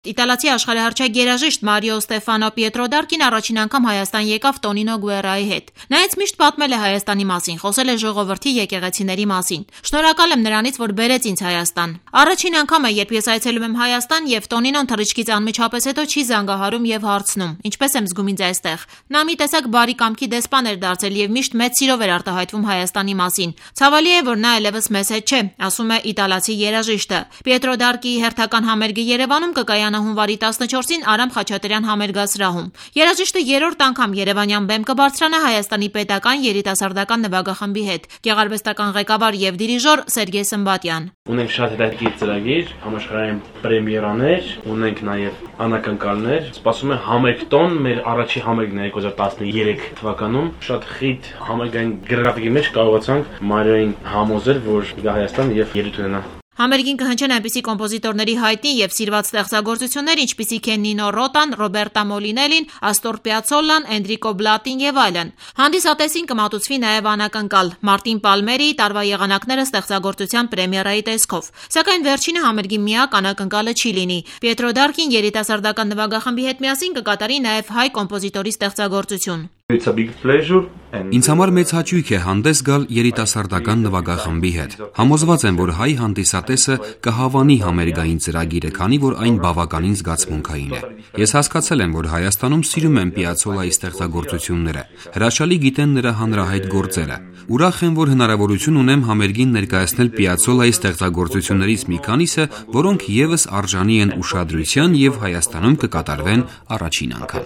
Իտալացի աշխարհահռչակ երաժիշտ Մարիո Ստեֆանո Պիետրոդարկին առաջին անգամ Հայաստան եկավ Տոնինո Գուերայի հետ։ Նա ինձ միշտ պատմել է Հայաստանի մասին, խոսել է ժողովրդի եկեղեցիների մասին։ Շնորհակալ եմ նրանից, որ բերեց ինձ Հայաստան։ Առաջին անգամ է, երբ ես այցելում եմ Հայաստան, եւ Տոնինոն թռիչքից անմիջապես հետո չի զանգահարում եւ հարցնում. ինչպես եմ զգում ինձ այստեղ։ Նա մի տեսակ բարի կամքի դեսպան էր դարձել եւ միշտ մեծ սիրով էր արտահայտվում Հայաստանի մասին։ Ցավալի է, որ նա այլևս մեզ հետ չէ, ասում է իտալացի երաժիշտը։ Պիետրոդարկիի հերթական համերգը Երևանում կկայանա հունվարի 14-ին Արամ Խաչատրյան համերգասրահում։ Երաժիշտը երրորդ անգամ Երևանյան բեմ կբարձրանա Հայաստանի պետական երիտասարդական նվագախմբի հետ։ Գեղարվեստական ղեկավար եւ դիրիժոր Սերգեյ Սմբատյան։ Ունենք շատ հետաքրքիր ծրագիր, համաշխարհային պրեմիերաներ, ունենք նաեւ անակնկալներ։ Սպասում է համերգ տոն, մեր առաջի համերգն է 2013 թվականում։ Շատ խիտ համերգային գրաֆիկի մեջ կարողացանք Մարիոին համոզել, որ գա Հայաստան եւ ելույթ ունենա։ Համերգին կհնչեն այնպիսի կոմպոզիտորների հայտնի եւ սիրված ստեղծագործություններ, ինչպիսիք են Նինո Ռոտան, Ռոբերտա Մոլինելին, Աստոր Պիացոլլան, Էնդրիկո Բլատին եւ այլն։ Հանդիսատեսին կմատուցվի նաեւ անակնկալ Մարտին Պալմերի տարվա եղանակները ստեղծագործության պրեմիերայի տեսքով։ Սակայն վերջինը համերգի միակ անակնկալը չի լինի։ Պիետրոդարկին երիտասարդական նվագախմբի հետ միասին կկատարի նաեւ հայ կոմպոզիտորի ստեղծագործություն։ Ինձ համար մեծ հաճույք է հանդես գալ երիտասարդական նվագախմբի հետ։ Համոզված եմ, որ հայ հանդիսատեսը կհավանի համերգային ծրագիրը, քանի որ այն բավականին զգացմունքային է։ Ես հասկացել եմ, որ Հայաստանում սիրում են Պիացոլայի ստեղծագործությունները, հրաշալի գիտեն նրա հանրահայտ գործերը։ Ուրախ եմ, որ հնարավորություն ունեմ համերգին ներկայացնել Պիացոլայի ստեղծագործություններից մի քանիսը, որոնք եւս արժանի են ուշադրության եւ Հայաստանում կկատարվեն առաջին անգամ։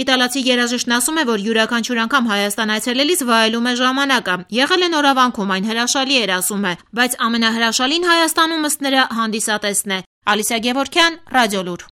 Իտալացի երաժիշտն ասում է, որ յուրաքանչյուր անգամ Հայաստան այցելելիս վայելում է ժամանակը։ Եղել է նորավանքում, այն հրաշալի էր, ասում է, բայց ամենահրաշալին Հայաստանում ըստ նրա հանդիսատեսն է։ Ալիսա Գևորգյան, Ռադիոլուր։